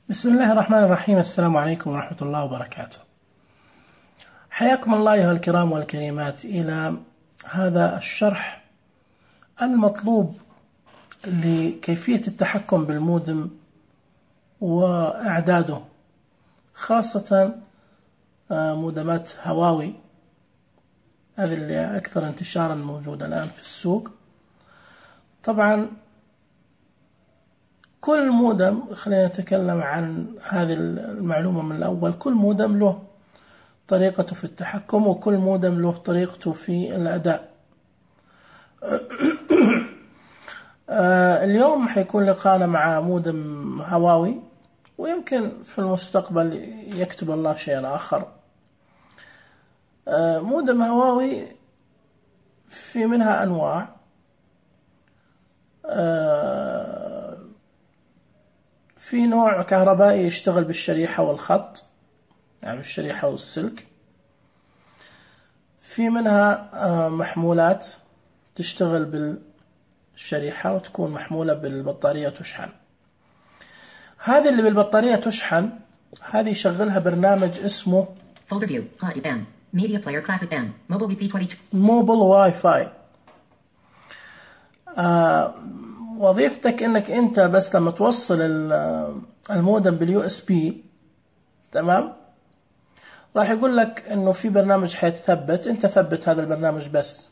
بسم الله الرحمن الرحيم. السلام عليكم ورحمة الله وبركاته. حياكم الله أيها الكرام والكريمات إلى هذا الشرح المطلوب لكيفية التحكم بالمودم وإعداده، خاصة مودمات هواوي، هذه اللي أكثر انتشارا موجودة الآن في السوق. طبعا كل مودم، خلينا نتكلم عن هذه المعلومة من الأول، كل مودم له طريقته في التحكم وكل مودم له طريقته في الأداء. اليوم حيكون لقاءنا مع مودم هواوي، ويمكن في المستقبل يكتب الله شيئا آخر. مودم هواوي في منها أنواع، في نوع كهربائي يشتغل بالشريحة والخط، يعني الشريحة والسلك. في منها محمولات تشتغل بالشريحة وتكون محمولة بالبطارية وتشحن. هذه اللي بالبطارية تشحن، هذه يشغلها برنامج اسمه موبل واي فاي. وظيفتك انك انت بس لما توصل المودم باليو اس بي، تمام، راح يقول لك انه في برنامج حيتثبت، انت ثبت هذا البرنامج بس.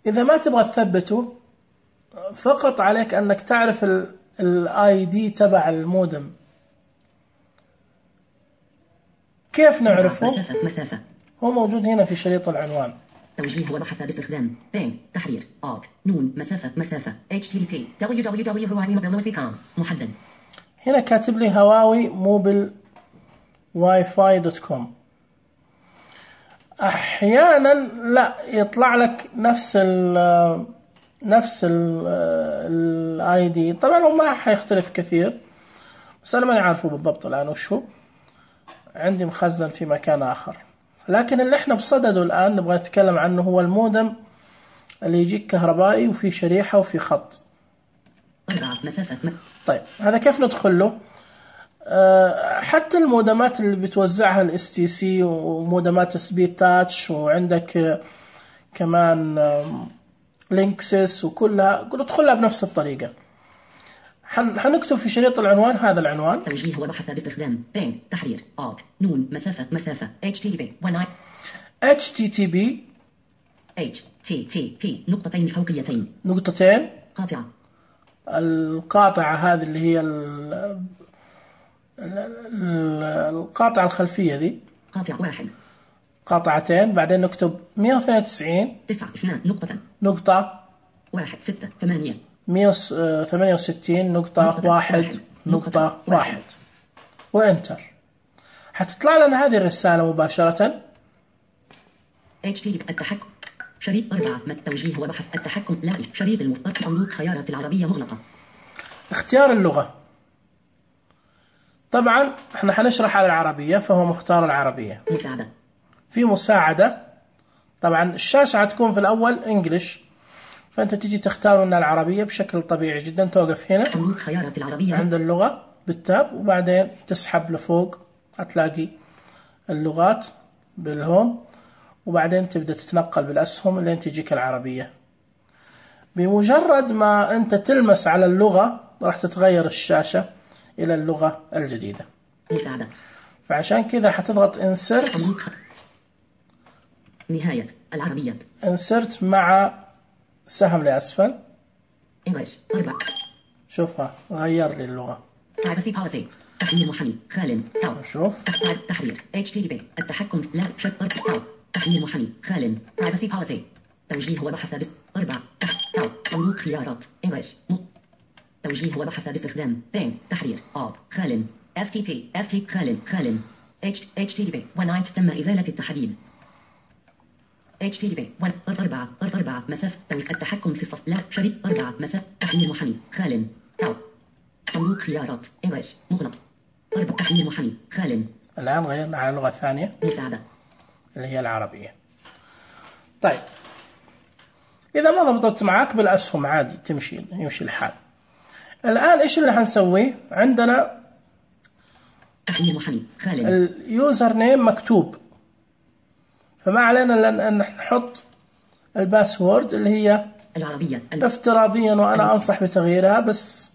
اذا ما تبغى تثبته، فقط عليك انك تعرف الاي دي تبع المودم. كيف نعرفه؟ مسافة. هو موجود هنا في شريط العنوان. توجيه وبحث باستخدام تحرير نون مسافة HTTP www.huawei.com محدد. هنا كاتب لي هواوي موبل واي فاي .com. احيانا لا يطلع لك نفس الاي دي. طبعا هو ما حيختلف كثير، بس انا ماني عارفه بالضبط الان وش هو، عندي مخزن في مكان اخر. لكن اللي احنا بصدده الآن نبغى نتكلم عنه هو المودم اللي يجيك كهربائي وفي شريحة وفي خط. طيب هذا كيف ندخل له؟ حتى المودمات اللي بتوزعها الاس تي سي ومودمات سبيد تاتش، وعندك كمان لينكسس وكلها، ادخلها بنفس الطريقة. حنكتب في شريط العنوان هذا العنوان. توجيه وبحث باستخدام تحرير نون مسافة HTTP نقطتين فوقيتين قاطعة. القاطعة هذه اللي هي القاطعة الخلفية ذي، قاطعة واحد، قاطعتين، بعدين نكتب 192 نقطة 168 نقطة 1 نقطة 1 وانتر. حتطلع لنا هذه الرسالة مباشرة. التحكم شريط 4 التوجيه وبحث التحكم شريط المفترض صندوق خيارات العربية مغلقة. اختيار اللغة، طبعا احنا حنشرح على العربية فهو مختار العربية. مساعدة، في مساعدة. طبعا الشاشة هتكون في الأول انجلش، فأنت تيجي تختار من العربية بشكل طبيعي جدا. توقف هنا صندوق خيارات العربية عند اللغة بالتاب، وبعدين تسحب لفوق هتلاقي اللغات بالهوم، وبعدين تبدأ تتنقل بالأسهم لين تجيك العربية. بمجرد ما أنت تلمس على اللغة راح تتغير الشاشة إلى اللغة الجديدة. مساعدة. فعشان كذا حتضغط insert نهاية العربية، insert مع سهم لأسفل. English 4. شوفها غير لي اللغة. Privacy policy تحرير محمي خال شوف تحرير HTTP التحكم لا شرط تحرير محمي خال Privacy policy توجيه وبحث 4 صندوق خيارات English توجيه وبحث باستخدام تحرير خال FTP خال HTTP تم إزالة التحديد. HTTP 4 مسافة التحكم في الصف لا شريط 4 مسافة تحرير محمي خال صندوق خيارات English مغلق 4 تحرير محمي خال. الآن غيرنا على اللغة الثانية مساعدة اللي هي العربية. طيب إذا ما ضبطت معك بالأسهم عادي يمشي الحال. الآن إيش اللي هنسويه؟ عندنا تحليل محمي خالد. اليوزر نيم مكتوب، فما علينا أن نحط الباسورد اللي هي العربية افتراضيا، وأنا أنصح بتغييرها، بس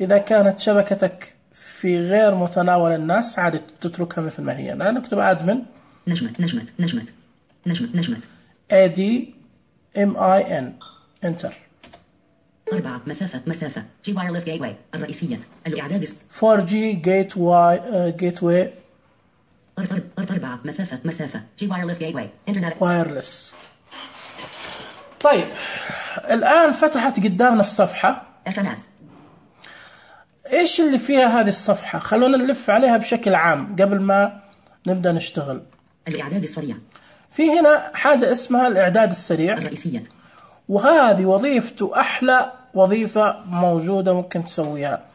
إذا كانت شبكتك في غير متناول الناس عادي تتركها مثل ما هي. أنا نكتب أدمن نجمت ADMIN انتر. 4 مسافة جي وايرلس جيت واي الرئيسية الإعداد 4G جيت واي 4 مسافة جي وايرلس جيت واي انترنت وايرلس. طيب الآن فتحت قدامنا الصفحة. SMS. إيش اللي فيها هذه الصفحة؟ خلونا نلف عليها بشكل عام قبل ما نبدأ نشتغل. الإعداد السريع. في هنا حاجة اسمها الإعداد السريع الرئيسية، وهذه وظيفته أحلى وظيفة موجودة ممكن تسويها.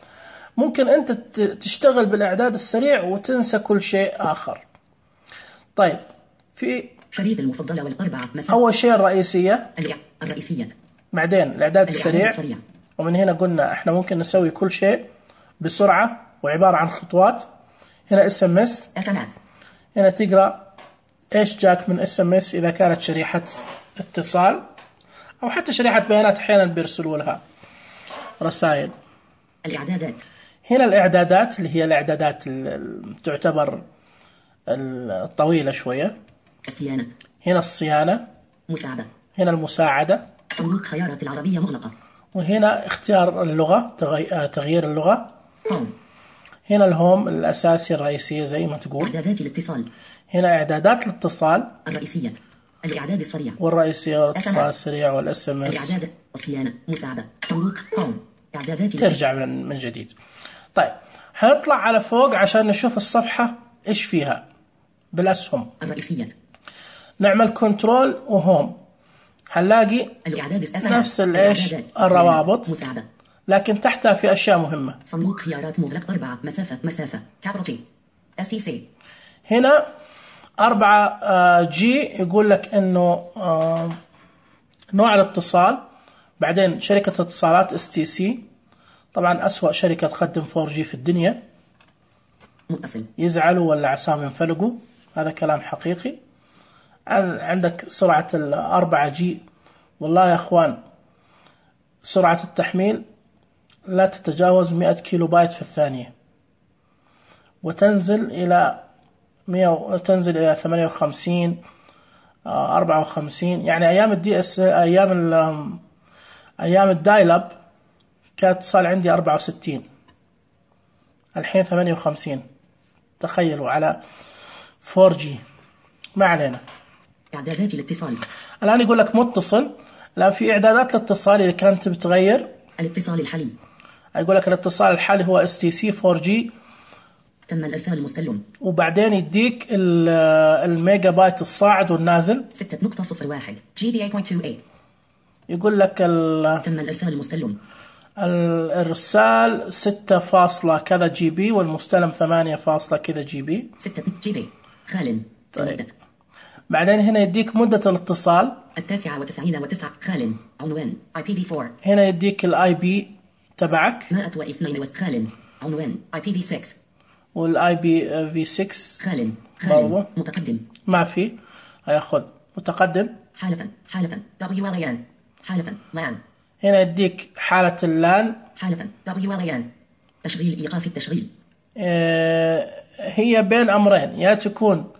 ممكن أنت تشتغل بالإعداد السريع وتنسى كل شيء آخر. طيب في شريط المفضلة والأربعة مسافة. أول شيء الرئيسية، الرئيسية، بعدين الإعداد السريع. ومن هنا قلنا إحنا ممكن نسوي كل شيء بسرعة وعبارة عن خطوات. هنا SMS، هنا تقرأ إيش جاك من SMS إذا كانت شريحة اتصال أو حتى شريحة بيانات، أحيانا بيرسلوا لها رسائل. الإعدادات، هنا الإعدادات اللي هي الإعدادات تعتبر الطويلة شوية. الصيانة، هنا الصيانة، مساعدة، هنا المساعدة، صندوق خيارات العربية مغلقة، وهنا اختيار اللغة، تغيير اللغة. هوم. هنا الهوم الأساسي الرئيسية زي ما تقول. إعدادات الاتصال، هنا إعدادات الاتصال الرئيسية، الإعداد السريع والرئيسية والاتصال السريع والSMS. الإعداد، الصيانة، مساعدة، صندوق هوم، إعدادات ترجع من جديد. طيب هنطلع على فوق عشان نشوف الصفحة إيش فيها بالأسهم. الرئيسية، نعمل كنترول وهوم، هنلاقي نفس الإيش الروابط، مساعدة، لكن تحتها في أشياء مهمة. صندوق خيارات مغلق 4 مسافة كابيتال STC. هنا 4G يقول لك إنه نوع الاتصال، بعدين شركة اتصالات STC، طبعا أسوأ شركة تقدم 4G في الدنيا، متصل، يزعلوا ولا عساهم ينفلقوا، هذا كلام حقيقي. عندك سرعة 4G، والله يا أخوان سرعة التحميل لا تتجاوز 100 كيلو بايت في الثانية، وتنزل إلى 58 54. يعني أيام الDS، أيام الدايلاب كانت اتصال عندي 64، الحين 58. تخيلوا على 4G. ما علينا. إعدادات الاتصال، الآن يقول لك متصل. الآن في إعدادات الاتصال إذا كانت بتغير الاتصال الحالي، يقول لك الاتصال الحالي هو STC 4G، تم الإرسال المستلم، وبعدين يديك الميجا بايت الصاعد والنازل 6.01 GBA.28. يقول لك تم الإرسال المستلم، الإرسال 6 كذا GB، والمستلم 8 كذا GB. 6 GB خال. طيب. بعدين هنا يديك مدة الاتصال 99.9 خال. عنوان IPv4. هنا يديك IP تبعك 102 خال. عنوان IPv6 والIPv6 خال. متقدم ما في. هياخذ متقدم. حالة WLAN. حالة LAN. هنا يديك حالة اللان. حالة WLAN. تشغيل إيقاف التشغيل. هي بين أمرين، يا تكون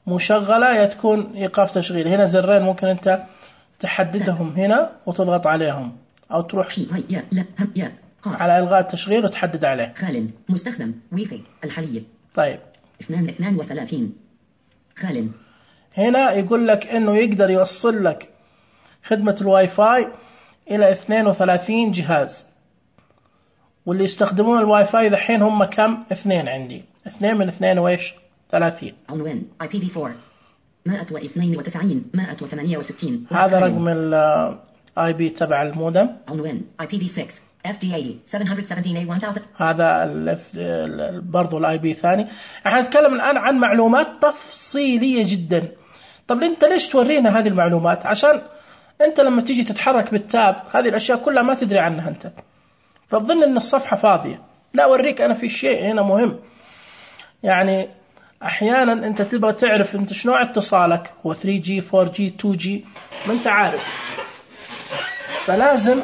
مشغلة يا تكون إيقاف تشغيل. هنا زرين ممكن أنت تحددهم هنا وتضغط عليهم، أو تروح على إلغاء التشغيل وتحدد عليه. خال. مستخدم واي الحالية. طيب 32 خال. هنا يقول لك إنه يقدر يوصل لك خدمة الواي فاي إلى 32 جهاز، واللي يستخدمون الواي فاي دحين هم كم؟ 2 عندي. 2 من 2 وإيش؟ 30. عنوان IPv4 192 168. هذا رقم ال IP تبع المودم. عنوان IPv6 FD80 717A1000. هذا برضو ال IP ثاني. احنا نتكلم الآن عن معلومات تفصيلية جدا. طب انت ليش تورينا هذه المعلومات؟ عشان انت لما تيجي تتحرك بالتاب هذه الاشياء كلها ما تدري عنها انت. فتظن ان الصفحة فاضية. لا، اوريك انا في شيء هنا مهم. يعني احيانا انت تبغى تعرف انت شنو اتصالك، هو 3G 4G 2G، ما انت عارف. فلازم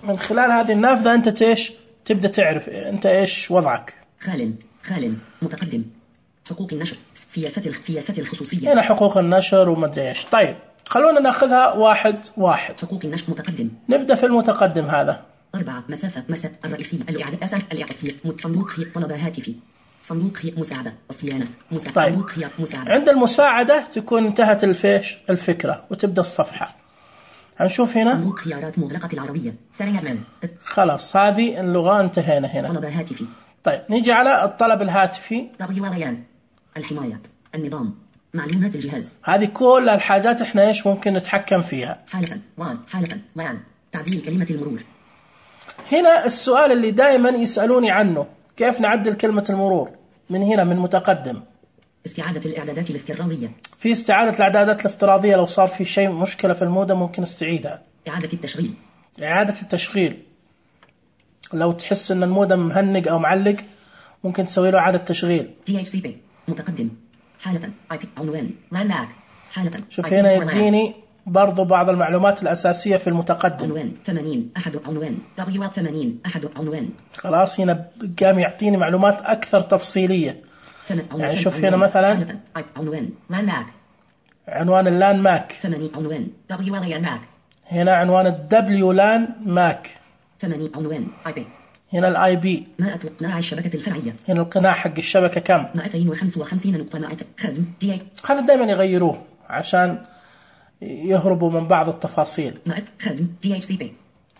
من خلال هذه النافذة انت ايش تبدأ تعرف انت ايش وضعك. خال متقدم، حقوق النشر، سياسات الخصوصية. هنا حقوق النشر وما ادري ايش. طيب خلونا ناخذها واحد. حقوق النشر متقدم. نبدأ في المتقدم هذا. 4 مسافة الرئيسية، الإعداد الأساسية، صندوق طلب هاتفي، صندوق مساعدة، الصيانة، طيب. صندوق مساعدة. عند المساعدة تكون انتهت الفكرة وتبدأ الصفحة. هنشوف هنا صندوق خيارات مغلقة العربية، سريعا. خلاص هذه اللغة انتهينا هنا. طلب هاتفي. طيب نيجي على الطلب الهاتفي. WLAN، الحماية، النظام، معلومات الجهاز. هذه كل الحاجات احنا ايش ممكن نتحكم فيها. حالة LAN، تعديل كلمة المرور. هنا السؤال اللي دائما يسألوني عنه، كيف نعدل كلمة المرور من هنا من متقدم. استعادة الإعدادات الافتراضية. في استعادة الإعدادات الافتراضية، لو صار في شيء مشكلة في المودم ممكن نستعيدها. إعادة التشغيل لو تحس ان المودم مهنج او معلق ممكن تسوي له إعادة تشغيل. DHCP متقدم، حالة IP عنوان LAN MAC، حالة. شوف هنا يديني برضو بعض المعلومات الأساسية في المتقدم. عنوان 80 أحد عنوان WL80 أحد عنوان. خلاص هنا قام يعطيني معلومات أكثر تفصيلية. يعني شوف هنا مثلا عنوان LAN MAC، عنوان اللان ماك. 80 عنوان WLAN MAC. هنا عنوان الدبليو لان ماك. 80 عنوان IP. هنا الاي بي. 100 قناع الشبكة الفرعية. هنا القناع حق الشبكة كم؟ 255 نقطة 100 خدم DA. هذا دائما يغيروه عشان يهربوا من بعض التفاصيل. 100 خدم DHCP.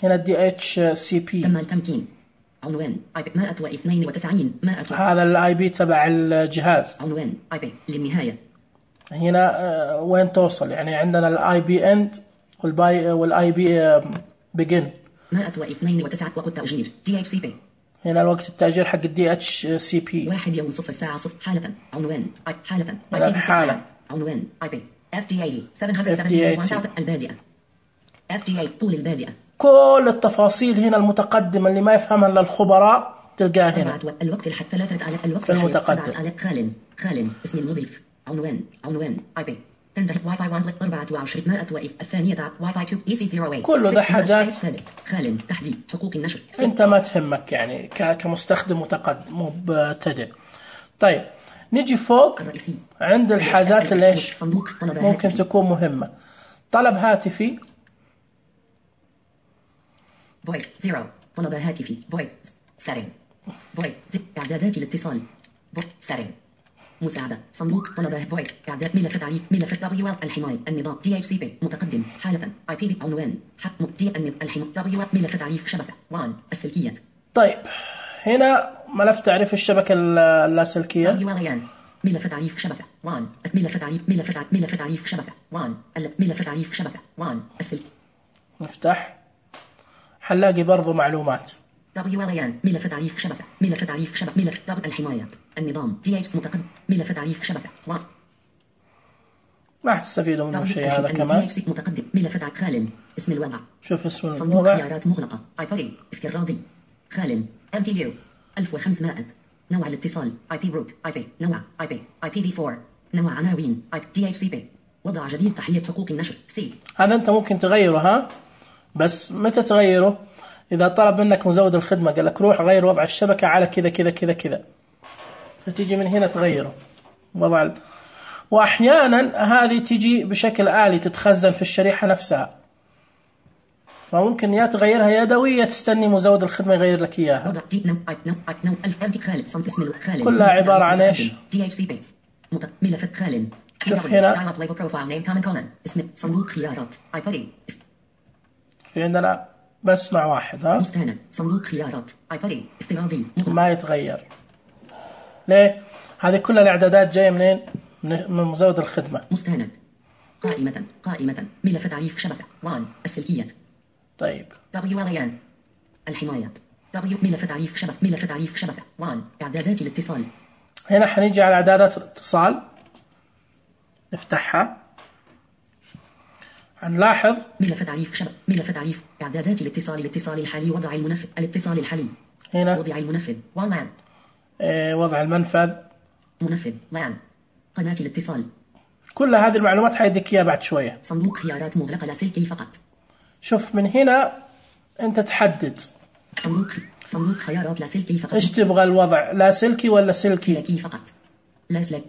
هنا DHCP. تم التمكين. عنوان IP 192 هذا الاي بي تبع الجهاز. عنوان IP للنهاية. هنا وين توصل، يعني عندنا الاي بي اند والاي بي بيجن. 192 وقت تأجير DHCP. هنا الوقت التأجير حق DHCP. 1 يوم 0 ساعة 0 حالة عنوان حالة الحالة عنوان IP FDA 771 البادئة FDA طول البادئة. كل التفاصيل هنا المتقدمة اللي ما يفهمها إلا الخبراء تلقاها هنا. الوقت الحد 3000 الوقت في المتقدم. خال اسم المضيف عنوان IP تنتهي واي فاي 1 24 الثانية واي فاي 2 EC0A. كله ده حاجات خال تحديد حقوق النشر انت ما تهمك يعني كمستخدم متقدم مبتدئ. طيب نيجي فوق عند الحاجات اللي ايش ممكن تكون مهمة. طلب هاتفي void 0 طلب هاتفي void setting void اعدادات الاتصال void setting مساعدة صندوق طلب void إعداد ملف تعريف ملف WL الحماية النظام DHCP متقدم حالة IP عنوان حق الحماية WL ملف تعريف شبكة WAN السلكية. طيب هنا ملف تعريف الشبكة اللاسلكية WLAN ملف تعريف شبكة WAN ملف تعريف شبكة WAN ملف تعريف شبكة WAN السلك. نفتح حنلاقي برضو معلومات WLAN ملف تعريف شبكة ملف الحماية النظام DH متقدم ملف تعريف شبكة ما حتستفيدوا منه شيء هذا كمان. متقدم ملف تعريف خال اسم الوضع شوف اسم الوضع صندوق خيارات مغلقة iPod افتراضي خال MTU 1500 نوع الاتصال IP root IP نوع IP IPv4 نوع عناوين DHCP وضع جديد تحلية حقوق النشر C. هذا أنت ممكن تغيره ها، بس متى تغيره؟ إذا طلب منك مزود الخدمة قال لك روح غير وضع الشبكة على كذا كذا كذا كذا، فتيجي من هنا تغيره وضع. وأحيانا هذه تيجي بشكل آلي تتخزن في الشريحة نفسها، فممكن يا تغيرها يدوية تستني مزود الخدمة يغير لك إياها. كلها عبارة عن إيش؟ ملف خال. شوف هنا صندوق خيارات في عندنا بس نوع واحد ها مستند صندوق خيارات ايبادي افتراضي ما يتغير. ليه؟ هذه كل الاعدادات جايه منين؟ من مزود الخدمه. مستند قائمه ملف تعريف شبكه وان السلكيه. طيب WLAN الحمايه ملف تعريف شبكه وان اعدادات الاتصال. هنا حنيجي على اعدادات الاتصال نفتحها. هنلاحظ ملف تعريف ملف تعريف إعدادات الاتصال الحالي وضع المنفذ الاتصال الحالي هنا وضع المنفذ WLAN وضع المنفذ منفذ LAN قناة الاتصال. كل هذه المعلومات حيديك إياها بعد شوية. صندوق خيارات مغلقة لاسلكي فقط. شوف من هنا أنت تحدد صندوق خيارات لاسلكي فقط. إيش تبغى الوضع، لاسلكي ولا سلكي؟ سلكي فقط. لاسلك.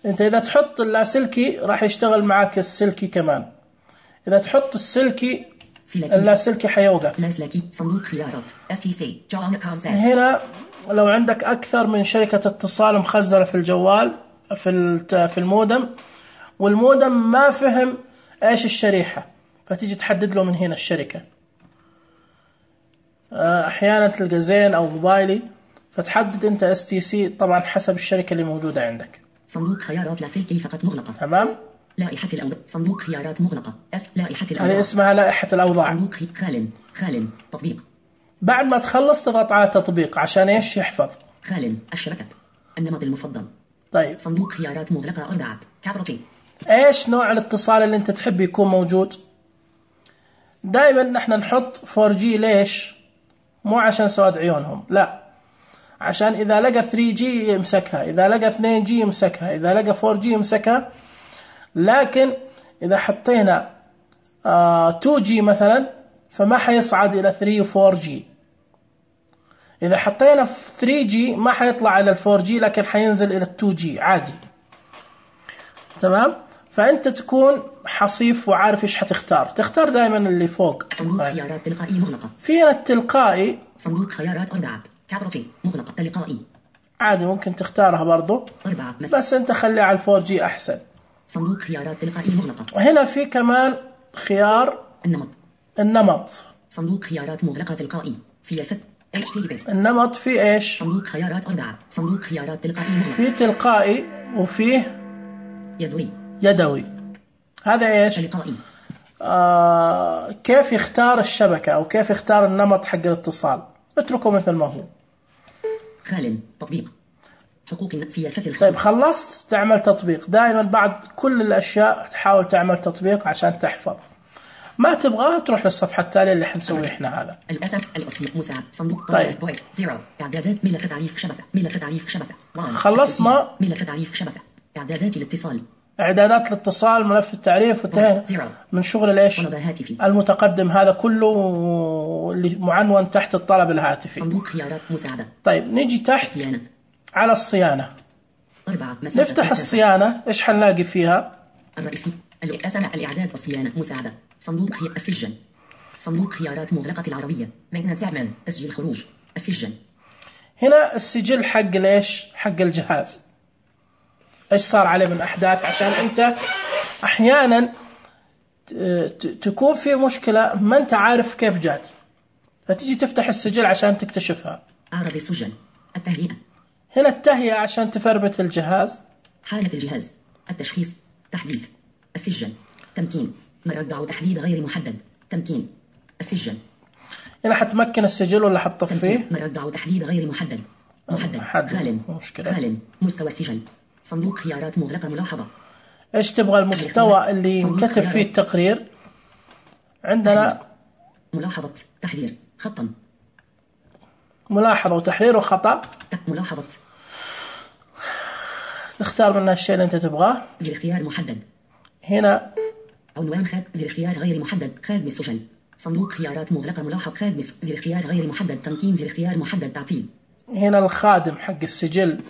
أنت إذا تحط اللاسلكي راح يشتغل معك السلكي كمان. إذا تحط السلكي اللاسلكي حيوقف. لاسلكي صندوق خيارات STC هنا لو عندك أكثر من شركة اتصال مخزنة في الجوال في المودم، والمودم ما فهم إيش الشريحة، فتيجي تحدد له من هنا الشركة. أحيانا تلقى زين أو موبايلي، فتحدد أنت STC طبعا حسب الشركة اللي موجودة عندك. صندوق خيارات لاسلكي فقط مغلقة. تمام. لائحة الأوضاع. صندوق خيارات مغلقة. لائحة الأوضاع. هذه اسمها لائحة الأوضاع. صندوق خال تطبيق. بعد ما تخلص تضغط على تطبيق عشان إيش يحفظ. خال الشبكة النمط المفضل. طيب. صندوق خيارات مغلقة 4 كابروتي. إيش نوع الاتصال اللي أنت تحب يكون موجود؟ دائما نحن نحط 4G. ليش؟ مو عشان سواد عيونهم، لا، عشان إذا لقى 3G يمسكها، إذا لقى 2G يمسكها، إذا لقى 4G يمسكها. لكن إذا حطينا 2G مثلا فما حيصعد إلى 3 و 4G. إذا حطينا 3G ما حيطلع إلى 4G، لكن حينزل إلى 2G عادي. تمام؟ فأنت تكون حصيف وعارف إيش حتختار. تختار دائما اللي فوق. صندوق خيارات تلقائي مغلقة. فينا التلقائي. صندوق خيارات 4 كابروتي مغلقة تلقائي. عادي ممكن تختارها برضو، بس أنت خلي على 4G أحسن. صندوق خيارات تلقائي مغلقة. وهنا في كمان خيار النمط. صندوق خيارات مغلقة تلقائي. سياسة النمط في إيش؟ صندوق خيارات 4. صندوق خيارات تلقائي مغلقة. في تلقائي وفيه يدوي. هذا إيش؟ تلقائي. كيف يختار الشبكة أو كيف يختار النمط حق الاتصال. اتركه مثل ما هو. خال تطبيق حقوق سياسة الخدمة. طيب خلصت تعمل تطبيق. دائما بعد كل الأشياء تحاول تعمل تطبيق عشان تحفظ. ما تبغاه تروح للصفحة التالية اللي حنسوي إحنا هذا. الأصل مساعد صندوق. طيب. إعدادات ملف تعريف شبكة. ملف تعريف شبكة. خلصنا. ملف تعريف شبكة. إعدادات الاتصال. إعدادات الاتصال، ملف التعريف، وانتهينا من شغل الإيش المتقدم هذا كله اللي معنون تحت الطلب الهاتفي. صندوق خيارات مساعدة. طيب نيجي تحت على الصيانة. نفتح الصيانة. إيش حنلاقي فيها؟ الرئيسي الإعداد الصيانة مساعدة. صندوق السجن. صندوق خيارات مغلقة العربية. maintenance أعمال. تسجيل خروج. السجن. هنا السجل حق ليش؟ حق الجهاز. إيش صار عليه من أحداث، عشان أنت أحيانا تكون في مشكلة ما أنت عارف كيف جات، فتيجي تفتح السجل عشان تكتشفها. أعرض السجن. التهيئة. هنا التهيئة عشان تفرمت الجهاز. حالة الجهاز. التشخيص. تحديث. السجن. تمكين. مرجع تحديد غير محدد. تمكين. السجن. هنا حتمكن السجل ولا حتطفيه؟ مرجع تحديد غير محدد. محدد. خال مستوى السجل. صندوق خيارات مغلقة ملاحظة. إيش تبغى المستوى اللي ينكتب فيه التقرير؟ عندنا ملاحظة تحرير خطا. ملاحظة وتحرير وخطأ. ملاحظة. تختار منها الشيء اللي أنت تبغاه. زر اختيار محدد. هنا عنوان زر اختيار غير محدد. خادم السجل. صندوق خيارات مغلقة ملاحظ. خادم زر اختيار غير محدد. تمكين زر اختيار محدد. تعطيل. هنا الخادم حق السجل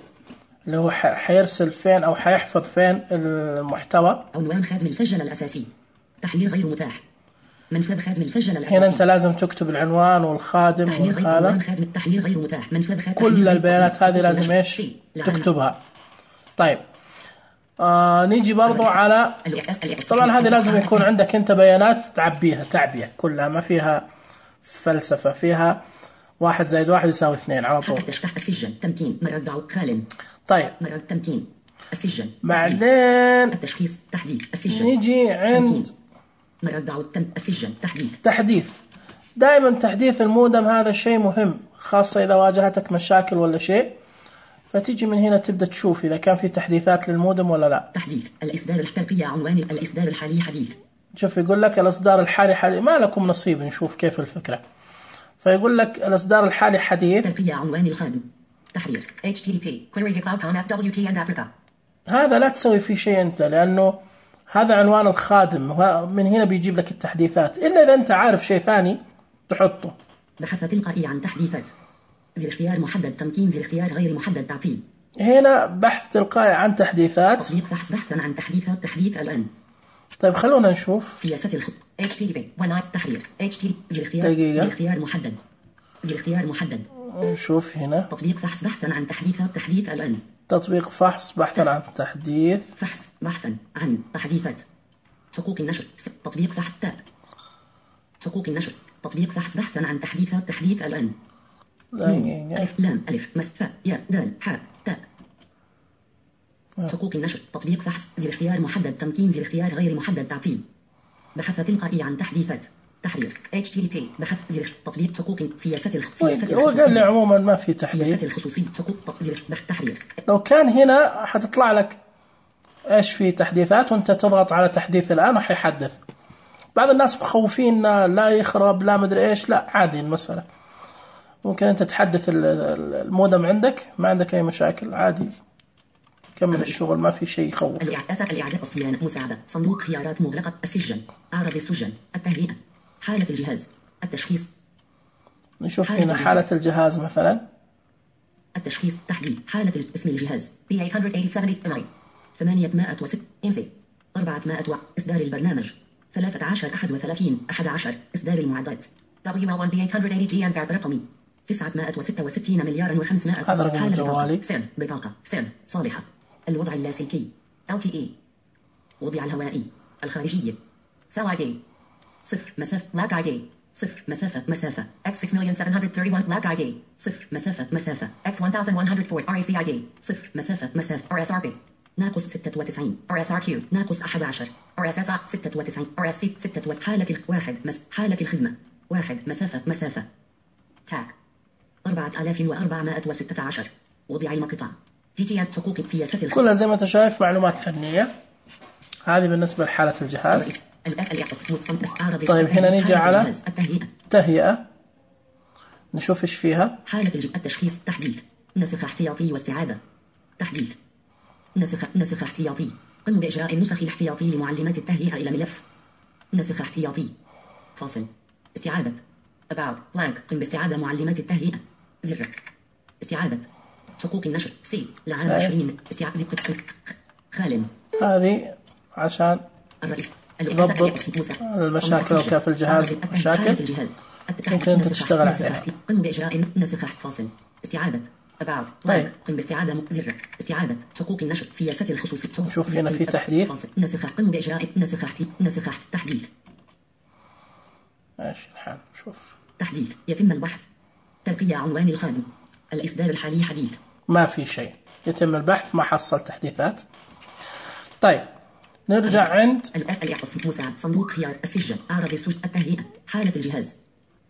اللي هو حيرسل فين أو حيحفظ فين المحتوى. عنوان خادم السجل الأساسي. تحرير غير متاح. منفذ خادم السجل الأساسي. هنا أنت لازم تكتب العنوان والخادم وهذا. تحرير غير متاح. منفذ خادم. كل البيانات هذه لازم إيش تكتبها. طيب نيجي برضو على طبعا هذه لازم يكون عندك أنت بيانات تعبيها تعبية كلها، ما فيها فلسفة، فيها 1 زائد 1 يساوي 2 على طول. تشتح السجن. تمكين مرجع خال. طيب تمكين السجن. بعدين التشخيص. تحديث السجن. نيجي عند مرجع السجن. تحديث. دائما تحديث المودم هذا شيء مهم، خاصة إذا واجهتك مشاكل ولا شيء، فتيجي من هنا تبدأ تشوف إذا كان في تحديثات للمودم ولا لا. تحديث الإصدار الترقية. عنوان الإصدار الحالي حديث. شوف يقول لك الإصدار الحالي حديث، ما لكم نصيب. نشوف كيف الفكرة. فيقول لك الإصدار الحالي حديث. ترقية عنوان الخادم. تحرير HTTP query cloud.com FWT and Africa. هذا لا تسوي فيه شيء أنت، لأنه هذا عنوان الخادم، من هنا بيجيب لك التحديثات، إلا إذا أنت عارف شيء ثاني تحطه. بحث تلقائي عن تحديثات. زر اختيار محدد تمكين، زر اختيار غير محدد تعطيل. هنا بحث تلقائي عن تحديثات. تطبيق فحص بحثا عن تحديثات، تحديث الآن. طيب خلونا نشوف. سياسة HTTP تحرير HTTP زر اختيار دقيقة. زر اختيار محدد، زر اختيار محدد. نشوف هنا تطبيق فحص بحثا عن تحديثات، تحديث الآن. تطبيق فحص بحثا عن تحديث. فحص بحثا عن تحديثات. حقوق النشر. تطبيق فحص تاب. حقوق النشر. تطبيق فحص بحثا عن تحديثات، تحديث الآن. ألف لام ألف مس ثاء ياء دال حاء تاء. حقوق النشر. تطبيق فحص زر اختيار محدد تمكين، زر اختيار غير محدد تعطيل. بحث تلقائي عن تحديثات. تحرير HTTP بحث زر تطبيق حقوق سياسة هو قال لي عموما ما في تحديث. سياسة الخصوصية حقوق زر بحث تحرير. لو كان هنا حتطلع لك ايش في تحديثات، وانت تضغط على تحديث الآن وحيحدث. بعض الناس مخوفين لا يخرب لا مدري ايش، لا عادي المسألة. ممكن انت تحدث المودم عندك، ما عندك اي مشاكل، عادي كمل الشغل، ما في شيء يخوف. الإعداد الصيانة مساعدة، صندوق خيارات مغلقة، السجن، أعراض السجن، التهيئة، حالة الجهاز، التشخيص. نشوف هنا حالة الجهاز مثلا. التشخيص تحديد حالة اسم الجهاز B887 806 إنسي 400 إصدار البرنامج 13 31 11 إصدار المعدات WL1 B880 GM رقمي 966 مليار و500. هذا رقم جوالي. سم بطاقة سم صالحة. الوضع اللاسلكي LTE. وضع الهوائي الخارجية سواجي 0 مسافة لاج ID 0 مسافة X6731 لاج ID 0 مسافة X1104 RACID 0 مسافة RSRB ناقص 96 RSRQ ناقص 11 RSS 96 RSC 6 حالة الخدمة 1 مسافة تاك 4416. وضع المقطع TGM حقوق سياسة كلها زي ما انت شايف معلومات فنية. هذه بالنسبة لحالة الجهاز. طيب هنا نيجي على التهيئة، نشوف ايش فيها. حالة التشخيص تحديث، نسخ احتياطي واستعادة. تحديث نسخ احتياطي، قم بإجراء النسخ الاحتياطي لمعلمات التهيئة إلى ملف نسخ احتياطي فاصل. استعادة about blank، قم باستعادة معلمات التهيئة زر. استعادة حقوق النشر سي لعام 20 استعادة خالٍ. هذه عشان ضبط المشاكل لو كان في الجهاز مشاكل ممكن انت تشتغل عليها. قم بإجراء نسخ فاصل. استعادة طيب. قم باستعادة زر. استعادة حقوق النشر سياسة الخصوصية. نشوف هنا في تحديث. نسخ قم بإجراء نسخ تحديث. ماشي الحال. شوف تحديث يتم البحث. ترقية عنوان الخادم. الإصدار الحالي حديث. ما في شيء، يتم البحث، ما حصل تحديثات. طيب نرجع عند مساعد، صندوق خيار، السجن، أعراض السجن، التهيئة، حالة الجهاز،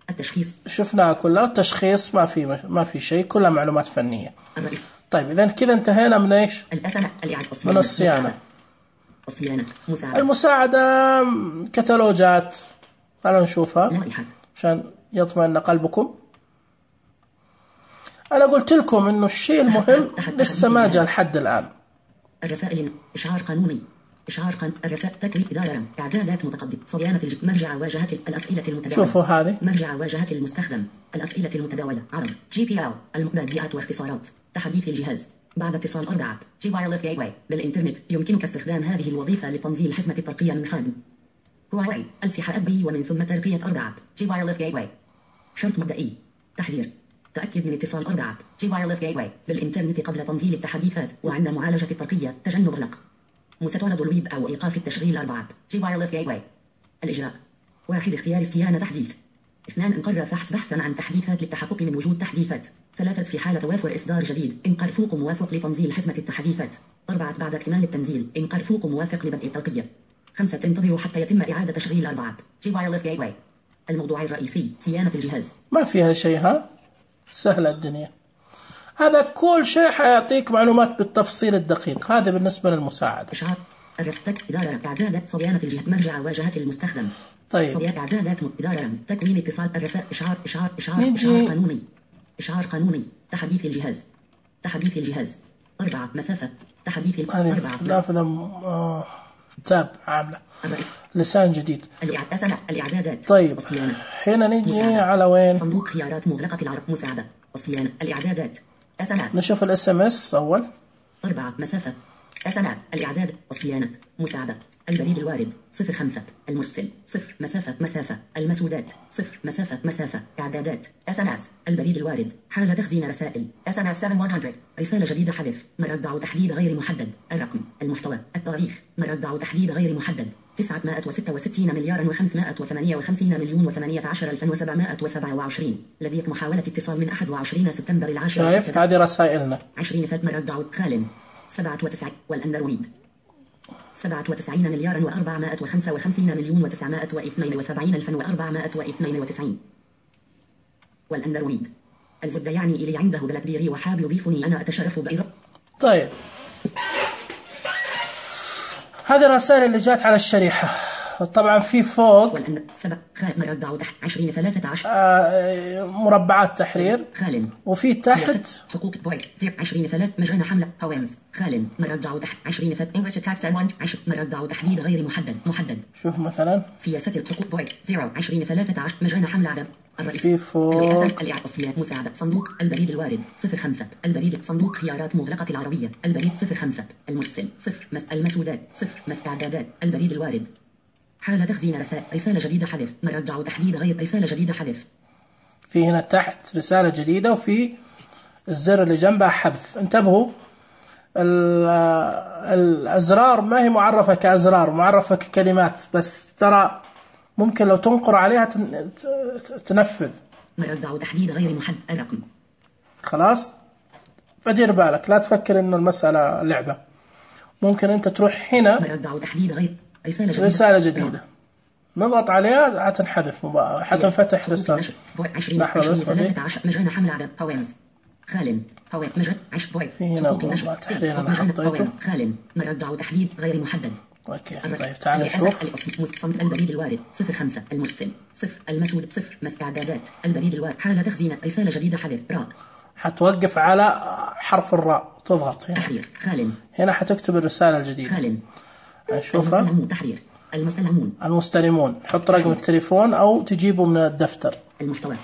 التشخيص. شفناها كلها. التشخيص ما في شيء، كلها معلومات فنية. طيب إذا كذا انتهينا من ايش؟ من الصيانة. المساعدة كتالوجات، تعالوا نشوفها عشان يطمئن قلبكم. أنا قلت لكم إنه الشيء المهم لسه ما جاء لحد الآن. الرسائل إشعار قانوني الرسائل تكوين إدارة إعدادات متقدم صيانة مرجع واجهة الأسئلة المتداولة. شوفوا هذه مرجع واجهة المستخدم الأسئلة المتداولة عرض GPL المبادئات واختصارات تحديث الجهاز بعد اتصال 4 G Wireless Gateway بالإنترنت. يمكنك استخدام هذه الوظيفة لتنزيل حزمة الترقية من خادم هواوي السحة أبي ومن ثم ترقية 4 G Wireless Gateway. شرط مبدئي تحذير تأكد من اتصال 4 G Wireless Gateway بالإنترنت قبل تنزيل التحديثات وعند معالجة الترقية تجنب القلق. مستند الويب أو إيقاف التشغيل 4 G Wireless Gateway. الإجراء 1 اختيار الصيانة تحديث 2 انقر فحص بحثا عن تحديثات للتحقق من وجود تحديثات 3 في حالة توافر إصدار جديد انقر فوق موافق لتنزيل حزمة التحديثات 4 بعد اكتمال التنزيل انقر فوق موافق لبدء الترقية 5 تنتظر حتى يتم إعادة تشغيل 4 G Wireless Gateway. الموضوع الرئيسي صيانة الجهاز. ما فيها شيء، ها سهلة الدنيا. هذا كل شيء حيعطيك معلومات بالتفصيل الدقيق. هذا بالنسبة للمساعدة. الرستك إدارة إعدادات صيانة الجهة مرجع واجهة المستخدم. طيب صيانة إعدادات إدارة رمز تكوين اتصال الرسائل إشعار نجي. قانوني. إشعار قانوني. تحديث الجهاز. تحديث الجهاز. 4 مسافة. تحديث 4 نافذة تاب عاملة لسان جديد. الإعدادات. طيب الصيانة. هنا نجي مساعدة. على وين؟ صندوق خيارات مغلقة العرب مساعدة. الصيانة. الإعدادات. SMS. نشوف SMS أول. 4 مسافة. SMS. الإعداد. الصيانة. مساعدة. البريد الوارد 05. المرسل 0 مسافة. المسودات 0 مسافة. إعدادات. SMS. البريد الوارد. حالة تخزين رسائل. SMS 7100. رسالة جديدة حذف. مربع تحديد غير محدد. الرقم. المحتوى. التاريخ. مربع تحديد غير محدد. 966,558,018,018 لديك محاولة اتصال من 21 سبتمبر العاشر. شايف هذه رسائلنا 20 مربع خال 97 والأندرويد 97,455,972,492 والأندرويد. الزبدة يعني إلي عنده بلاك بيري وحاب يضيفني أنا أتشرف بأيضا. طيب هذه الرسائل اللي جات على الشريحة. طبعا في فوق مربع تحت 2013 مربعات تحرير وفي تحت حقوق بوينت 20 مجانا حملة هوامز خال مربع تحت 20 English attacks and 10 مربع تحديد غير محدد. شوف مثلا سياسة الحقوق بوينت 2013 مجانا حملة عدم في فوق الإعطاسيات مساعدة صندوق البريد الوارد 05 البريد صندوق خيارات مغلقة العربية البريد 05 المرسل 0 المسودات 0 إعدادات البريد الوارد حالة تخزين رسالة جديدة حذف مربع تحديد غير رسالة جديدة حذف. في هنا تحت رسالة جديدة وفي الزر اللي جنبها حذف. انتبهوا الأزرار ما هي معرفة كأزرار معرفة ككلمات بس ترى ممكن لو تنقر عليها تنفذ. مربع تحديد غير محدد الرقم. خلاص فدير بالك لا تفكر انه المسألة لعبة. ممكن انت تروح هنا مربع تحديد غير رسالة جديدة نضغط عليها حتنحذف حتنفتح رسالة. لحظة بس مجانا حمل عدد هوامز خال هوام مجد 10 في هنا مربع تحرير أنا حطيته خال مربع تحديد غير محدد. اوكي طيب تعال نشوف البريد الوارد 05 المرسل 0 المسود 0 استعدادات البريد الوارد حالة تخزين رسالة جديدة حذف راء حتوقف على حرف الراء تضغط هنا تحرير خال هنا حتكتب الرسالة الجديدة خال نشوفها تحرير المستلمون حط رقم التليفون أو تجيبه من الدفتر. المحتوى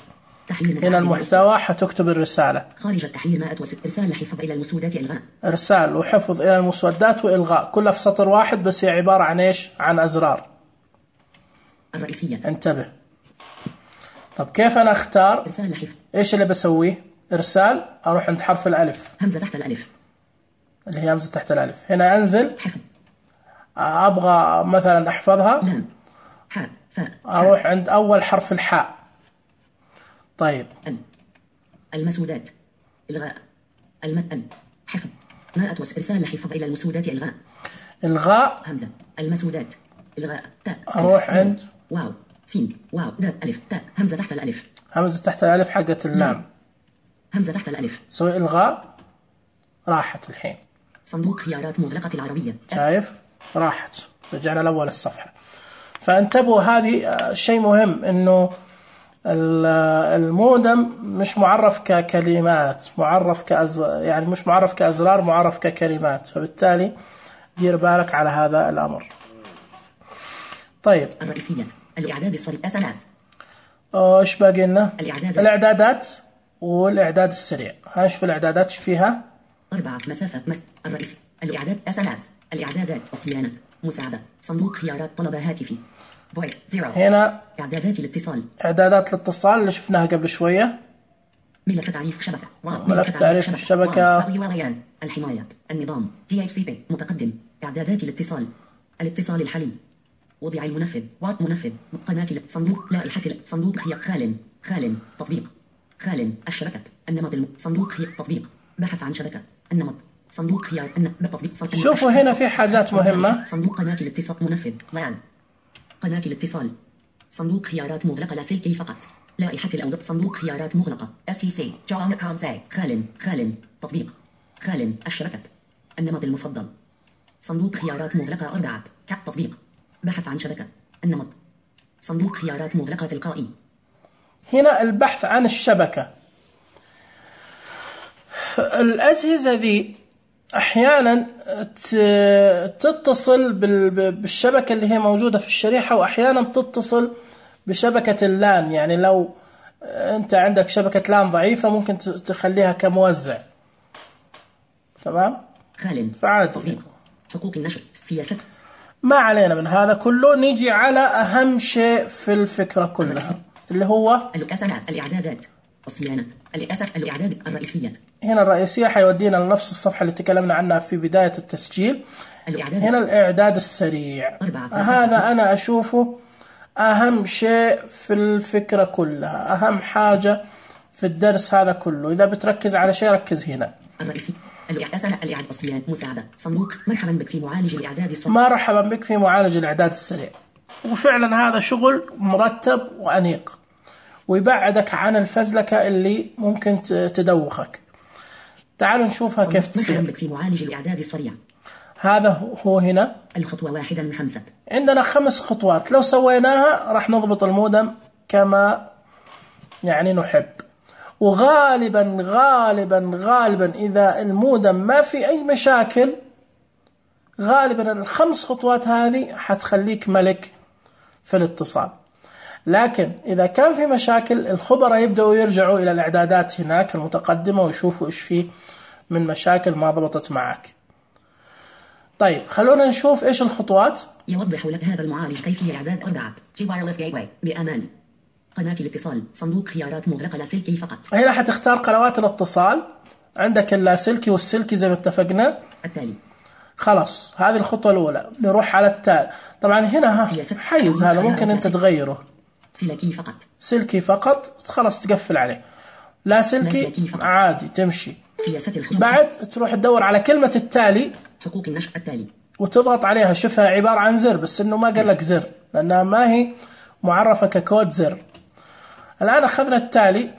هنا المحتوى حتكتب الرسالة خارج التحرير ما إرسال حفظ إلى المسودات إلغاء إرسال وحفظ إلى المسودات وإلغاء كلها في سطر واحد بس هي عبارة عن إيش عن أزرار الرئيسية. انتبه. طب كيف أنا أختار إرسال حفظ إيش اللي بسويه إرسال أروح عند حرف الألف همزة تحت الألف اللي هي همزة تحت الألف هنا أنزل حفظ أبغى مثلا أحفظها لام حاء فاء أروح عند أول حرف الحاء. طيب المسودات إلغاء حفظ ما إرسال حفظ إلى المسودات إلغاء همزة المسودات إلغاء تاء أروح عند واو سين واو دال ألف تاء همزة تحت الألف همزة تحت الألف حقت اللام همزة تحت الألف سوي إلغاء راحت الحين صندوق خيارات مغلقة العربية شايف راحت رجعنا لأول الصفحة. فانتبهوا هذه شيء مهم إنه المودم مش معرف ككلمات معرف يعني مش معرف كأزرار معرف ككلمات فبالتالي دير بالك على هذا الأمر. طيب الرئيسية الإعداد السريع SMS إيش باقي لنا الإعدادات والإعداد السريع. هنشوف الإعدادات فيها 4 مسافة الرئيسي الإعداد SMS الإعدادات الصيانة مساعدة صندوق خيارات طلب هاتفي هنا إعدادات الاتصال إعدادات الاتصال اللي شفناها قبل شوية ملف تعريف شبكة ملف تعريف الشبكة الحماية النظام DHCP متقدم إعدادات الاتصال الحالي وضع المنفذ منفذ قناة صندوق لائحة صندوق خال تطبيق خال الشبكة النمط صندوق تطبيق بحث عن شبكة النمط صندوق خيار تطبيق شوفوا هنا في حاجات مهمة صندوق قناة الاتصال منفذ قناة الاتصال صندوق خيارات مغلقة لاسلكي فقط لائحة الأوضاع صندوق خيارات مغلقة STC خال تطبيق خال الشبكة النمط المفضل صندوق خيارات مغلقة 4 تطبيق بحث عن شبكة النمط صندوق خيارات مغلقة تلقائي. هنا البحث عن الشبكة. الأجهزة ذي أحيانا تتصل بالشبكة اللي هي موجودة في الشريحة، وأحيانا تتصل بشبكة اللان. يعني لو أنت عندك شبكة لان ضعيفة ممكن تخليها كموزع. تمام؟ فعادي. حقوق النشر، سياسة. ما علينا من هذا كله، نيجي على أهم شيء في الفكرة كلها اللي هو الإعدادات، الصيانة، الإعداد الرئيسية. هنا الرئيسية حيودينا لنفس الصفحة اللي تكلمنا عنها في بداية التسجيل. هنا الإعداد السريع. هذا أنا أشوفه أهم شيء في الفكرة كلها، أهم حاجة في الدرس هذا كله. إذا بتركز على شيء ركز هنا. الرئيسي الإعداد الصيانة، مساعدة، صندوق مرحبا بك في معالج الإعداد السريع. مرحبا بك في معالج الإعداد السريع. وفعلا هذا شغل مرتب وأنيق، ويبعدك عن الفزلكة اللي ممكن تدوخك. تعالوا نشوفها كيف تصير. مرحبا بك في معالج الإعداد السريع. هذا هو هنا الخطوة 1 من 5. عندنا 5 خطوات، لو سويناها راح نضبط المودم كما يعني نحب. وغالبا غالبا غالبا إذا المودم ما في أي مشاكل، غالبا ال5 خطوات هذه حتخليك ملك في الاتصال. لكن إذا كان في مشاكل، الخبراء يبدأوا يرجعوا إلى الإعدادات هناك المتقدمة ويشوفوا إيش فيه من مشاكل ما ضبطت معك. طيب خلونا نشوف إيش الخطوات. يوضح لك هذا المعالج كيفية إعداد 4 جي وايرلس جيت واي بأمان. قناة الاتصال، صندوق خيارات مغلقة لاسلكي فقط. هنا حتختار قنوات الاتصال، عندك اللاسلكي والسلكي زي ما اتفقنا. التالي خلاص، هذه الخطوة الأولى. نروح على التالي. طبعا هنا حيز هذا ممكن أنت تغيره. سلكي فقط. سلكي فقط، خلاص تقفل عليه. لا سلكي عادي تمشي. بعد تروح تدور على كلمة التالي، حقوق النشر التالي، وتضغط عليها. شوفها عبارة عن زر، بس إنه ما قال لك زر لأنها ما هي معرفة ككود زر. الآن أخذنا التالي.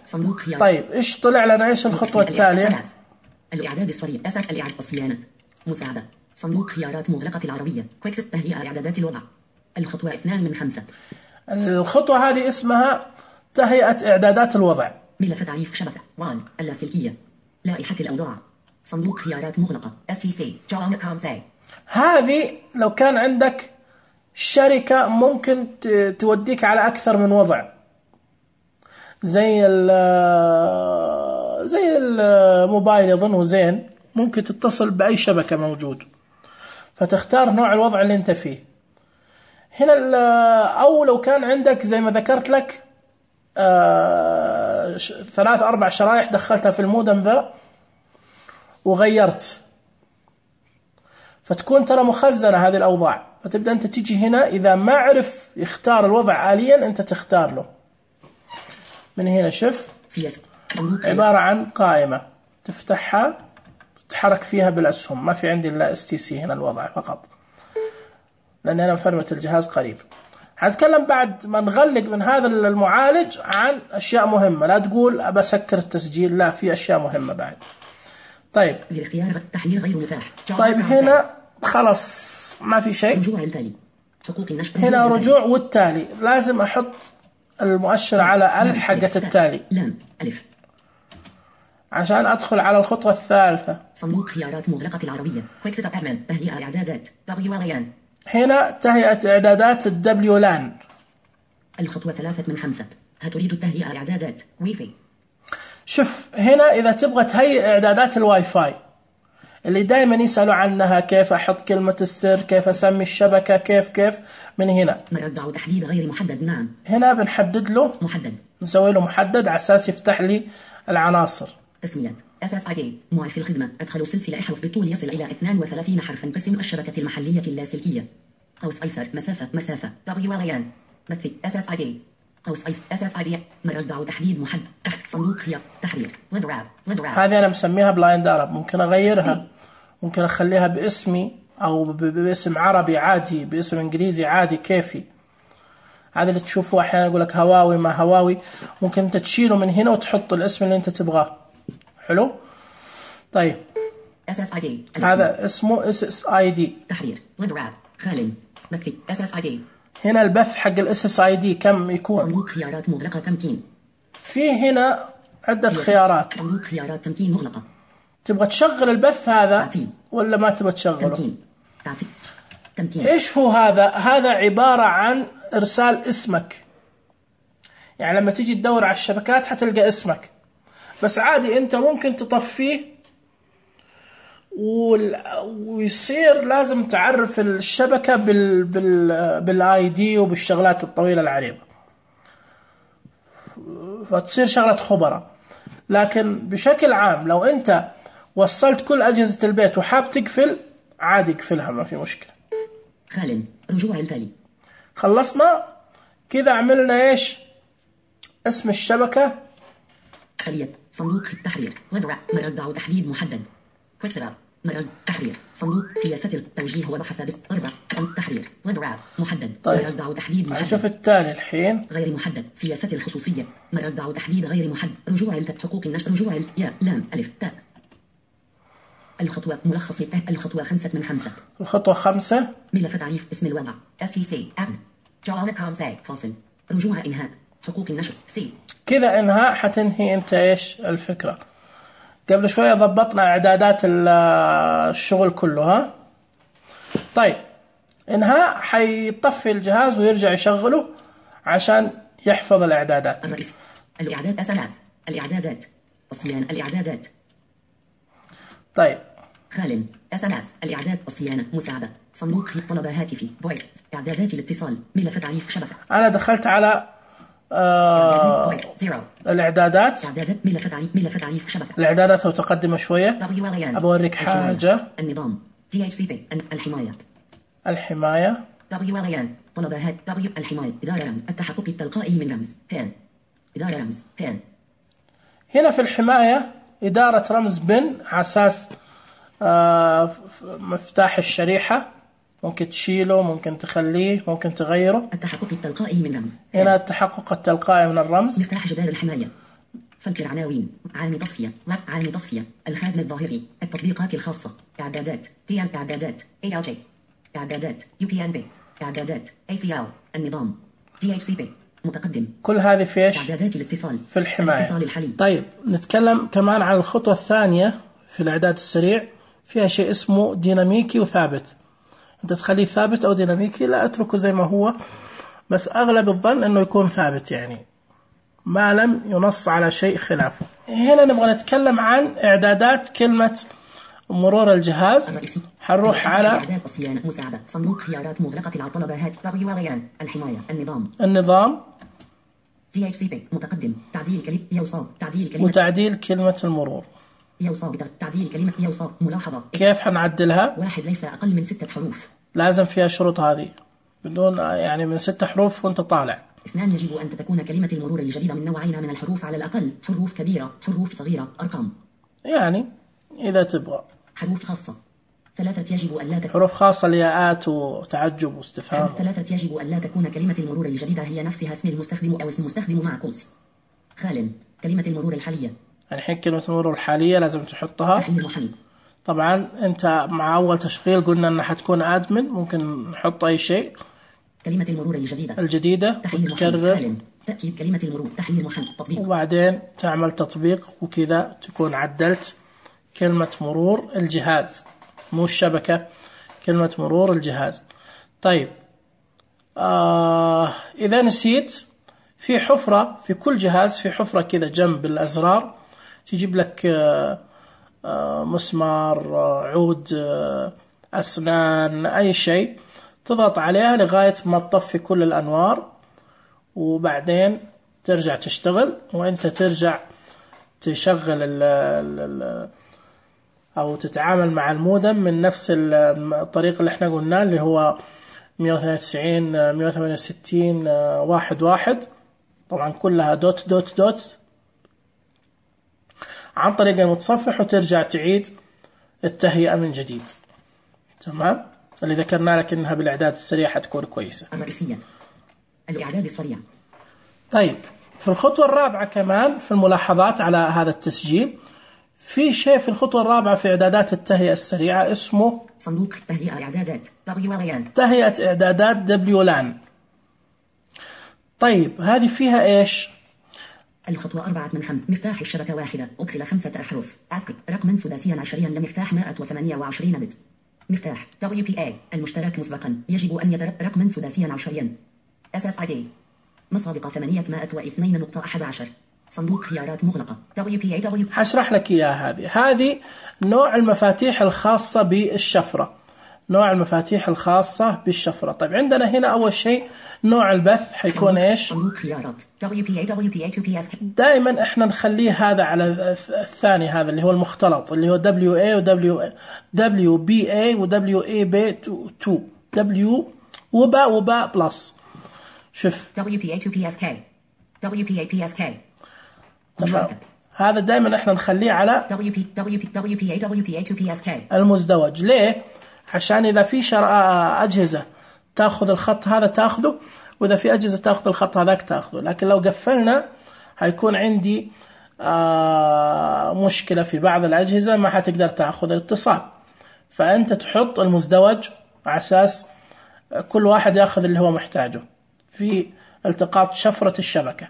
طيب إيش طلع لنا؟ إيش الخطوة التالية؟ الإعداد السريع، الإعداد الصيانة، مساعدة، صندوق خيارات مغلقة العربية، كويكس تهيئة إعدادات الوضع. الخطوة 2 من 5. الخطوة هذه اسمها تهيئة إعدادات الوضع. ملف تعريف شبكة 1 اللاسلكية، لائحة الأوضاع، صندوق خيارات مغلقة STC هذه لو كان عندك شركة ممكن توديك على أكثر من وضع، زي الموبايل يظن وزين، ممكن تتصل بأي شبكة موجود، فتختار نوع الوضع اللي انت فيه. هنا أو لو كان عندك زي ما ذكرت لك 3-4 شرايح دخلتها في المودم ذا وغيرت، فتكون ترى مخزنة هذه الأوضاع. فتبدأ أنت تيجي هنا، إذا ما عرف يختار الوضع آليا أنت تختار له من هنا. شوف عبارة عن قائمة تفتحها تتحرك فيها بالأسهم. ما في عندي إلا STC هنا الوضع فقط، لأن أنا مفرمة الجهاز قريب. هتكلم بعد ما نغلق من هذا المعالج عن أشياء مهمة. لا تقول أبى أسكر التسجيل، لا، في أشياء مهمة بعد. طيب اختيار تحليل غير متاح. طيب هنا خلاص ما في شيء. رجوع التالي، حقوق النشر. هنا رجوع والتالي، لازم أحط المؤشر على حقة التالي لام ألف عشان أدخل على الخطوة الثالثة. صندوق خيارات مغلقة العربية، كويك سيت اب ادمن، تهيئة إعدادات WLAN. هنا تهيئة إعدادات WLAN. الخطوة 3 من 5. هتريد التهيئة إعدادات واي فاي. شوف هنا إذا تبغى تهيئ إعدادات الواي فاي اللي دائما يسألوا عنها، كيف أحط كلمة السر، كيف أسمي الشبكة، كيف من هنا. مربع تحديد غير محدد. نعم، هنا بنحدد له محدد، نسوي له محدد على أساس يفتح لي العناصر. تسمية SSID، موعد الخدمة، أدخل سلسلة أحرف بالطول يصل إلى 32 حرفا. قسم الشبكة المحلية اللاسلكية، قوس أيسر، مسافة WLAN، مثل SSID، قوس SSID، مربع تحديد محدد، صندوق خيار تحرير ليدراب. هذه أنا مسميها بلايند أرب، ممكن أغيرها، ممكن أخليها باسمي أو باسم عربي عادي، باسم إنجليزي عادي، كيفي. هذا اللي تشوفوه أحيانا يقول لك هواوي ما هواوي، ممكن أنت تشيله من هنا وتحط الاسم اللي أنت تبغاه. حلو. طيب SSID. هذا اسمه SSID. تحرير ونراب خال بث SSID. هنا البث حق SSID كم يكون؟ صندوق خيارات مغلقة تمكين. في هنا عدة خيارات. صندوق خيارات تمكين مغلقة. تبغى تشغل البث هذا تعتيم. ولا ما تبغى تشغله؟ تمكين. تمكين. ايش هو هذا؟ هذا عبارة عن ارسال اسمك. يعني لما تيجي تدور على الشبكات حتلقى اسمك، بس عادي انت ممكن تطفيه ويصير لازم تعرف الشبكة بالاي دي وبالشغلات الطويلة العريضة، فتصير شغلة خبرة. لكن بشكل عام لو انت وصلت كل أجهزة البيت وحاب تقفل عادي اقفلها ما في مشكلة. خال رجوع التالي. خلصنا كذا، عملنا ايش؟ اسم الشبكة، خلية صندوق التحرير مرد تحديد محدد كويكسرا مرد تحرير صندوق سياسة التوجيه وبحث بس 4 تحرير ونراب محدد. طيب. مرد تحديد محدد. نشوف التالي الحين. غير محدد سياسة الخصوصية مرد تحديد غير محدد. رجوع حقوق النشر رجوع يا لام ألف تاء. الخطوة ملخص الخطوة 5 من 5. الخطوة 5 ملف تعريف اسم الوضع STC أم جوانا ساي فاصل رجوع إنهاء حقوق النشر سي. كذا انهاء حتنهي انت ايش الفكرة. قبل شوية ضبطنا اعدادات الشغل كله ها. طيب انهاء حيطفي الجهاز ويرجع يشغله عشان يحفظ الاعدادات. الرئيس الاعداد SMS الاعدادات الصيانة الاعدادات. طيب خال SMS الاعداد الصيانة مساعدة صندوق طلب هاتفي فويس اعدادات الاتصال ملف تعريف شبكة. انا دخلت على الاعدادات ملف تعريف شبكة. الاعدادات متقدمة شوية. أوريك حاجة. النظام DHCP الحماية طلبات الحماية إدارة رمز التحقق التلقائي من رمز بين إدارة رمز بين. هنا في الحماية إدارة رمز بن على أساس مفتاح الشريحة، ممكن تشيله ممكن تخليه ممكن تغيره. التحقق التلقائي من رمز هنا التحقق التلقائي من الرمز. مفتاح جدار الحماية فلتر عناوين عامل تصفية الخاتم الظاهري التطبيقات الخاصة اعدادات اعدادات ALJ اعدادات UPnB اعدادات ACL النظام DHCP متقدم. كل هذه في ايش؟ اعدادات الاتصال في الحماية. الاتصال الحالي. طيب نتكلم كمان عن الخطوة الثانية في الاعداد السريع، فيها شيء اسمه ديناميكي وثابت. انت تخليه ثابت او ديناميكي، لا اتركه زي ما هو، بس اغلب الظن انه يكون ثابت يعني ما لم ينص على شيء خلافه. هنا نبغى نتكلم عن اعدادات كلمة مرور الجهاز. حنروح على اعداد الصيانة مساعدة صندوق خيارات مغلقة الطلبات الحماية النظام DHCP متقدم تعديل كلمة وتعديل كلمة المرور تعديل كلمة ملاحظة. كيف حنعدلها؟ 1 ليس أقل من 6 حروف. لازم فيها شروط هذه، بدون يعني من 6 حروف وانت طالع. 2 يجب أن تكون كلمة المرور الجديدة من نوعين من الحروف على الأقل، حروف كبيرة حروف صغيرة أرقام. يعني إذا تبغى حروف خاصة. 3 يجب أن لا تكون حروف خاصة لياءات وتعجب واستفهام. 3 يجب أن لا تكون كلمة المرور الجديدة هي نفسها اسم المستخدم أو اسم المستخدم مع قوس. خال كلمة المرور الحالية. الحين كلمة المرور الحالية لازم تحطها. طبعا انت مع اول تشغيل قلنا انها حتكون ادمن، ممكن نحط اي شيء. كلمة المرور الجديدة وتكرر تأكيد كلمة المرور تحليل محل تطبيق، وبعدين تعمل تطبيق، وكذا تكون عدلت كلمة مرور الجهاز، مو الشبكة، كلمة مرور الجهاز. طيب إذا نسيت، في حفرة في كل جهاز، في حفرة كذا جنب الأزرار تجيب لك مسمار، عود، أسنان، أي شيء، تضغط عليها لغاية ما تطفي كل الأنوار، وبعدين ترجع تشتغل، وأنت ترجع تشغل أو تتعامل مع المودم من نفس الطريقة اللي احنا قلنا، اللي هو 192 168 11. طبعا كلها دوت دوت دوت عن طريق المتصفح، وترجع تعيد التهيئة من جديد. تمام، اللي ذكرنا لك انها بالاعداد السريع حتكون كويسة. الرئيسية الاعداد السريع. طيب في الخطوة الرابعة كمان في الملاحظات على هذا التسجيل، في شيء في الخطوة الرابعة في إعدادات التهيئة السريعة اسمه صندوق تهيئة إعدادات WLAN. تهيئة إعدادات WLAN. طيب هذه فيها إيش؟ الخطوة 4 من 5. مفتاح الشبكة واحدة، أدخل 5 أحرف. رقما سداسيا عشريا لمفتاح 128 بت. مفتاح WPA المشترك مسبقا يجب أن رقما سداسيا عشريا. SSID مصادقة 802.11. صندوق خيارات مغلقة WPA. حشرح لك إياها. هذه نوع المفاتيح الخاصة بالشفرة، نوع المفاتيح الخاصة بالشفرة. طيب عندنا هنا أول شيء نوع البث حيكون إيش؟ صندوق خيارات WPA 2PS. دائما إحنا نخليه هذا على الثاني، هذا اللي هو المختلط اللي هو WA و WBA و WAB2 W وباء بلس. شوف WPA 2PSK WPA PSK. هذا دائما إحنا نخليه على WPA 2PSK المزدوج. ليه؟ عشان إذا في أجهزة تأخذ الخط هذا تأخذه، وإذا في أجهزة تأخذ الخط هذاك تأخذه. لكن لو قفلنا هيكون عندي مشكلة في بعض الأجهزة، ما حتقدر تأخذ الاتصال. فأنت تحط المزدوج على أساس كل واحد يأخذ اللي هو محتاجه في التقاط شفرة الشبكة.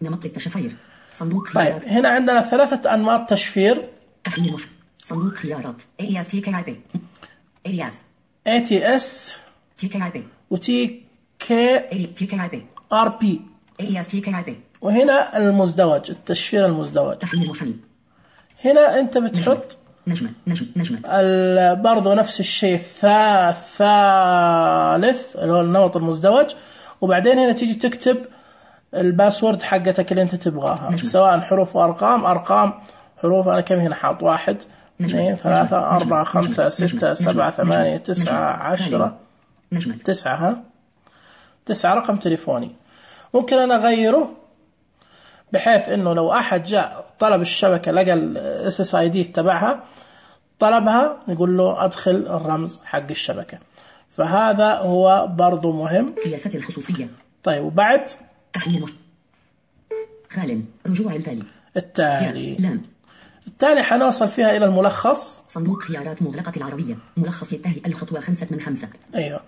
نمط التشفير صندوق خيارات. طيب هنا عندنا 3 أنماط تشفير. تحليل صندوق خيارات AES TKIP ATS TKIP و TKIP RP AES TKIP. وهنا المزدوج، التشفير المزدوج. تحليل محلي. هنا أنت بتحط نجمة برضو نفس الشيء الثالث اللي هو النمط المزدوج، وبعدين هنا تيجي تكتب الباسورد حقتك اللي أنت تبغاها، سواء حروف وأرقام. حروف أنا كم هنا حاط 1 2 3 4 5 6 7 8 9 10 9 رقم تليفوني. ممكن أنا أغيره بحيث إنه لو أحد جاء طلب الشبكة لقى ال SSID تبعها طلبها، نقول له أدخل الرمز حق الشبكة. فهذا هو برضو مهم. سياسة الخصوصية. طيب وبعد تحليل خال رجوع التالي حنوصل فيها إلى الملخص. صندوق خيارات مغلقة العربية ملخص التهيئة الخطوة 5 من 5. أيوه.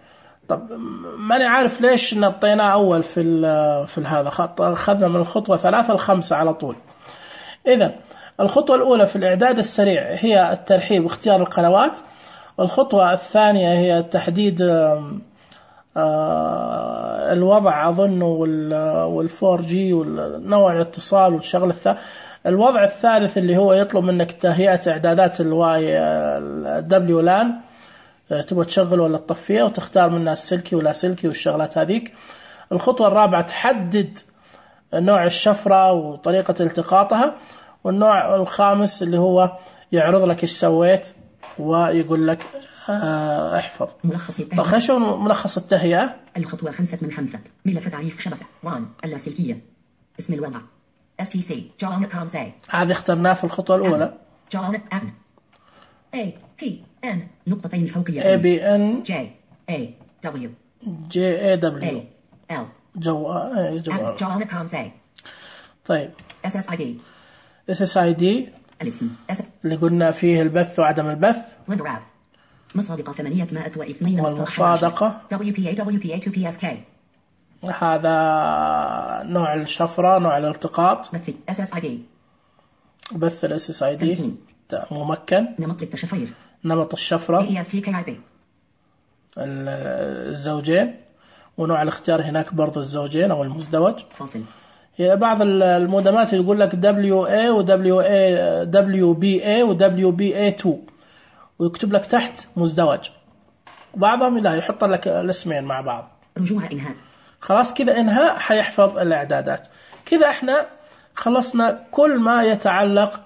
طب ماني عارف ليش نطيناه أول في هذا خط، أخذنا من الخطوة 3 ل5 على طول. إذن الخطوة الأولى في الإعداد السريع هي الترحيب واختيار القنوات. الخطوة الثانية هي تحديد الوضع أظن وال4G والنوع الاتصال والشغل الثالث. الوضع الثالث اللي هو يطلب منك تهيئة إعدادات WLAN، تبغى تشغل ولا تطفيها، وتختار منها السلكي ولا سلكي والشغلات هذيك. الخطوة الرابعة تحدد نوع الشفرة وطريقة التقاطها. والنوع الخامس اللي هو يعرض لك ايش سويت ويقول لك احفظ. ملخص التهيئة. طيب شو ملخص التهيئة؟ الخطوة 5 من 5. ملف تعريف شبكة 1 اللاسلكية. اسم الوضع STC JONCOM. هذا اخترناه في الخطوة الأولى. JON APN نقطتين فوقية ABN JAW L JONCOM. طيب SSID الاسم اللي قلنا فيه البث وعدم البث. مصادقة 802. والمصادقة WPA 2PSK. هذا نوع الشفرة، نوع الالتقاط. بث ال SSID ممكن. نمط التشفير. نمط الشفرة الزوجين، ونوع الاختيار هناك برضو الزوجين أو المزدوج. فاصل. هي بعض المودمات يقول لك WA و WBA و WBA2 ويكتب لك تحت مزدوج. بعضهم لا يحط لك الاسمين مع بعض. رجوع إنهاء. خلاص كذا انهاء حيحفظ الإعدادات. كذا احنا خلصنا كل ما يتعلق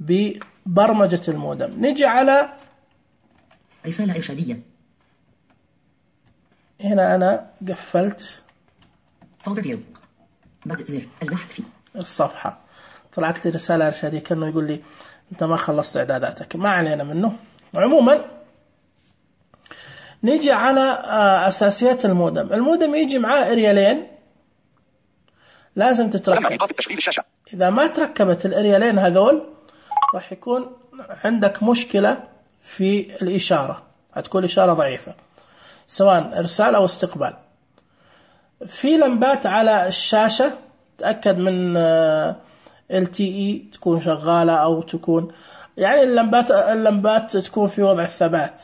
ببرمجة المودم. نجي على رسالة إرشادية. هنا أنا قفلت فولدر فيو زر البحث في الصفحة، طلعت لي رسالة إرشادية كأنه يقول لي أنت ما خلصت إعداداتك. ما علينا منه. عموما نيجي على أساسيات المودم. المودم يجي معاه إريالين لازم تتركب. إذا ما تركبت الإريالين هذول راح يكون عندك مشكلة في الإشارة، هتكون إشارة ضعيفة سواء إرسال أو استقبال. في لمبات على الشاشة تأكد من LTE تكون شغالة أو تكون يعني اللمبات تكون في وضع الثبات.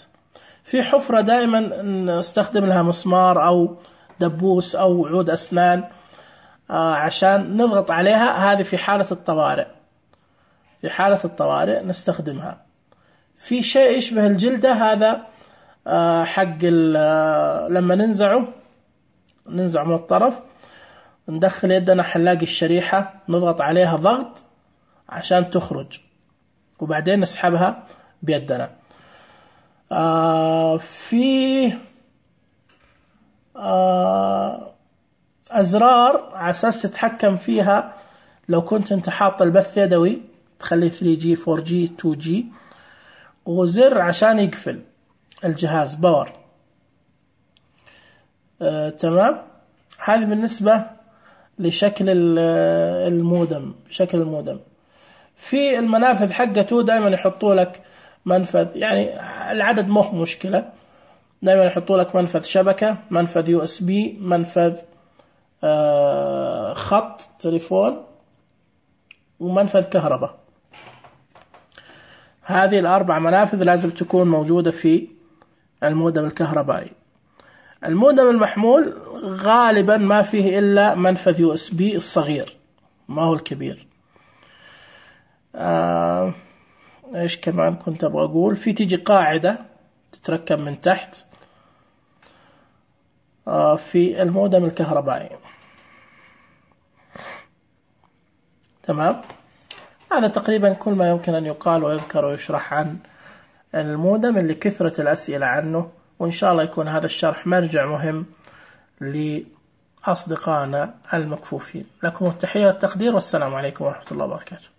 في حفرة دائما نستخدم لها مسمار أو دبوس أو عود أسنان عشان نضغط عليها، هذه في حالة الطوارئ. في حالة الطوارئ نستخدمها. في شيء يشبه الجلدة، هذا حق لما ننزع من الطرف، ندخل يدنا حنلاقي الشريحة، نضغط عليها ضغط عشان تخرج وبعدين نسحبها بيدنا. في أزرار على أساس تتحكم فيها. لو كنت انت حاط البث يدوي تخليه 3G 4G 2G، وزر عشان يقفل الجهاز باور. تمام. هذه بالنسبة لشكل المودم. شكل المودم في المنافذ حقته دائما يحطوا لك منفذ، يعني العدد مو مشكلة، دائما يحطوا لك منفذ شبكة، منفذ USB، منفذ خط تليفون، ومنفذ كهرباء. هذه الأربع منافذ لازم تكون موجودة في المودم الكهربائي. المودم المحمول غالبا ما فيه إلا منفذ USB الصغير، ما هو الكبير. إيش كمان كنت أبغى أقول؟ في تيجي قاعدة تتركب من تحت في المودم الكهربائي. تمام. هذا تقريبا كل ما يمكن أن يقال ويذكر ويشرح عن المودم اللي كثرة الأسئلة عنه، وإن شاء الله يكون هذا الشرح مرجع مهم لأصدقائنا المكفوفين. لكم التحية والتقدير، والسلام عليكم ورحمة الله وبركاته.